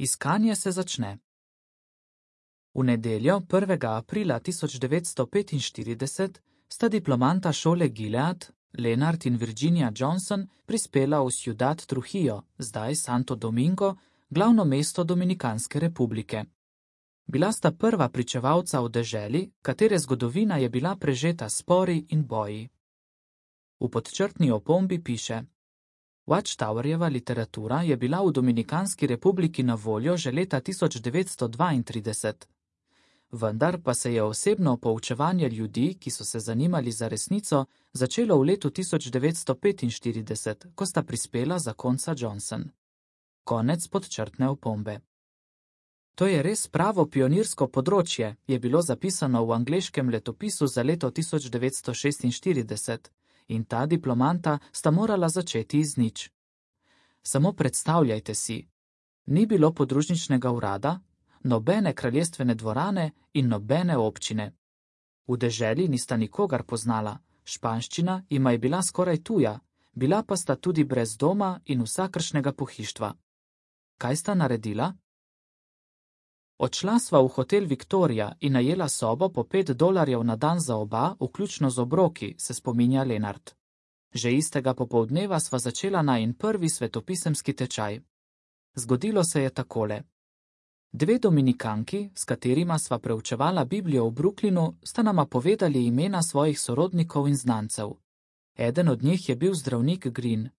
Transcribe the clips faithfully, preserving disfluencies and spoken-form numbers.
Iskanje se začne. V nedeljo, prvega aprila tisoč devetsto petinštirideset, sta diplomanta šole Gilead, Leonard in Virginia Johnson, prispela v Ciudad Trujillo, zdaj Santo Domingo, glavno mesto Dominikanske republike. Bila sta prva pričevalca v deželi, katere zgodovina je bila prežeta spori in boji. V podčrtni opombi piše: Watchtowerjeva literatura je bila v Dominikanski republiki na voljo že leta tisoč devetsto dvaintrideset. Vendar pa se je osebno poučevanje ljudi, ki so se zanimali za resnico, začelo v letu tisoč devetsto petinštirideset, ko sta prispela zakonca Johnson. Konec podčrtne opombe. To je res pravo pionirsko področje, je bilo zapisano v angleškem letopisu za leto tisoč devetsto šestinštirideset, in ta diplomanta sta morala začeti iz nič. Samo predstavljajte si, ni bilo podružničnega urada, nobene kraljestvene dvorane in nobene občine. V deželi nista nikogar poznala, španščina jima je bila skoraj tuja, bila pa sta tudi brez doma in vsakršnega pohištva. Kaj sta naredila? Odšla sva v hotel Victoria in najela sobo po pet dolarjev na dan za oba, vključno z obroki, se spominja Leonard. Že istega popoldneva sva začela najin prvi svetopisemski tečaj. Zgodilo se je takole. Dve dominikanki, s katerima sva preučevala Biblijo v Brooklynu, sta nama povedali imena svojih sorodnikov in znancev. Eden od njih je bil zdravnik Green.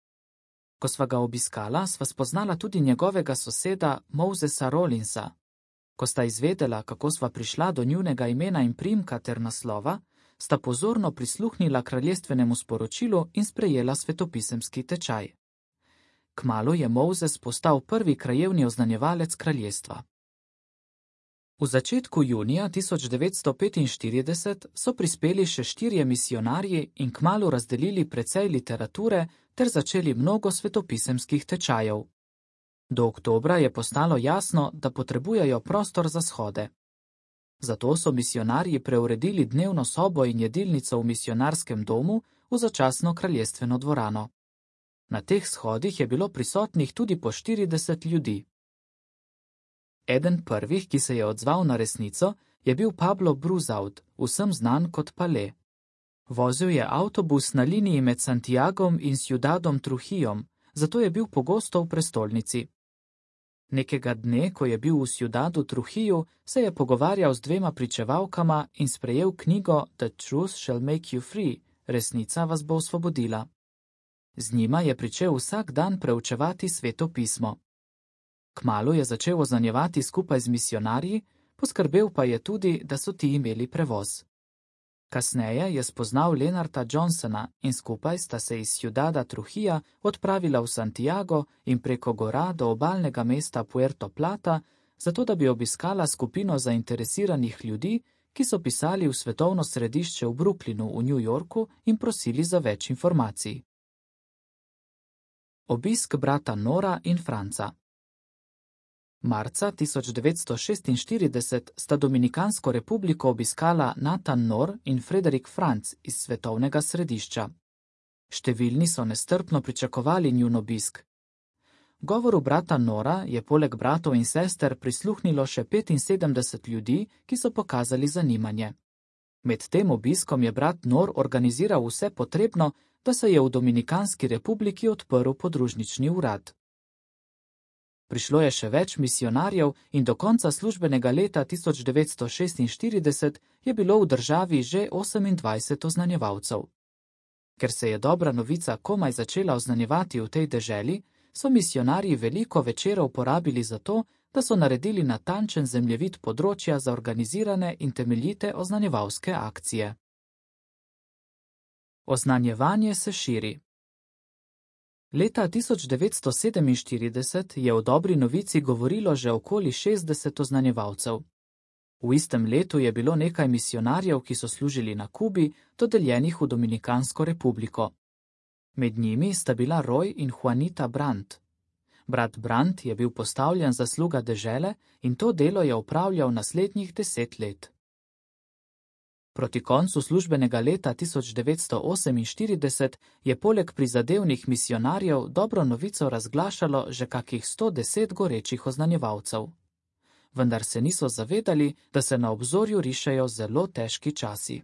Ko sva ga obiskala, sva spoznala tudi njegovega soseda Mosesa Rollinsa. Ko sta izvedela, kako sva prišla do njunega imena in priimka ter naslova, sta pozorno prisluhnila kraljestvenemu sporočilu in sprejela svetopisemski tečaj. Kmalu je Moses postal prvi krajevni oznanjevalec kraljestva. V začetku junija tisoč devetsto petinštirideset so prispeli še štirje misionarji in kmalu razdelili precej literature ter začeli mnogo svetopisemskih tečajev. Do oktobra je postalo jasno, da potrebujejo prostor za shode. Zato so misionarji preuredili dnevno sobo in jedilnico v misionarskem domu v začasno kraljestveno dvorano. Na teh shodih je bilo prisotnih tudi po štirideset ljudi. Eden prvih, ki se je odzval na resnico, je bil Pablo Bruzaud, vsem znan kot Pale. Vozil je avtobus na liniji med Santiagom in Ciudadom Trujillom, zato je bil pogosto v prestolnici. Nekega dne, ko je bil v Ciudadu Trujillu, se je pogovarjal z dvema pričevalkama in sprejel knjigo The Truth Shall Make You Free, resnica vas bo osvobodila. Z njima je pričel vsak dan preučevati Sveto pismo. Kmalu je začel oznanjevati skupaj z misionarji, poskrbel pa je tudi, da so ti imeli prevoz. Kasneje je spoznal Leonarda Johnsona in skupaj sta se iz Ciudada Trujilla odpravila v Santiago in preko gora do obalnega mesta Puerto Plata, zato da bi obiskala skupino zainteresiranih ljudi, ki so pisali v svetovno središče v Brooklynu v New Yorku in prosili za več informacij. Obisk brata Nora in Franca. Marca tisoč devetsto šestinštirideset sta Dominikansko republiko obiskala Nathan Nor in Frederick Franc iz svetovnega središča. Številni so nestrpno pričakovali njun obisk. Govoru brata Nora je poleg bratov in sester prisluhnilo še petinsedemdeset ljudi, ki so pokazali zanimanje. Med tem obiskom je brat Nor organiziral vse potrebno, da se je v Dominikanski republiki odprl podružnični urad. Prišlo je še več misionarjev in do konca službenega leta tisoč devetsto šestinštirideset je bilo v državi že osemindvajset oznanjevalcev. Ker se je dobra novica komaj začela oznanjevati v tej deželi, so misionarji veliko večerov porabili za to, da so naredili natančen zemljevid področja za organizirane in temeljite oznanjevalske akcije. Oznanjevanje se širi. Leta tisoč devetsto sedeminštirideset je o dobri novici govorilo že okoli šestdeset oznanjevalcev. V istem letu je bilo nekaj misionarjev, ki so služili na Kubi, dodeljenih v Dominikansko republiko. Med njimi sta bila Roy in Juanita Brandt. Brat Brandt je bil postavljen za sluga dežele in to delo je opravljal naslednjih deset let. Proti koncu službenega leta tisoč devetsto oseminštirideset je poleg prizadevnih misionarjev dobro novico razglašalo že kakih sto deset gorečih oznanjevalcev. Vendar se niso zavedali, da se na obzorju rišejo zelo težki časi.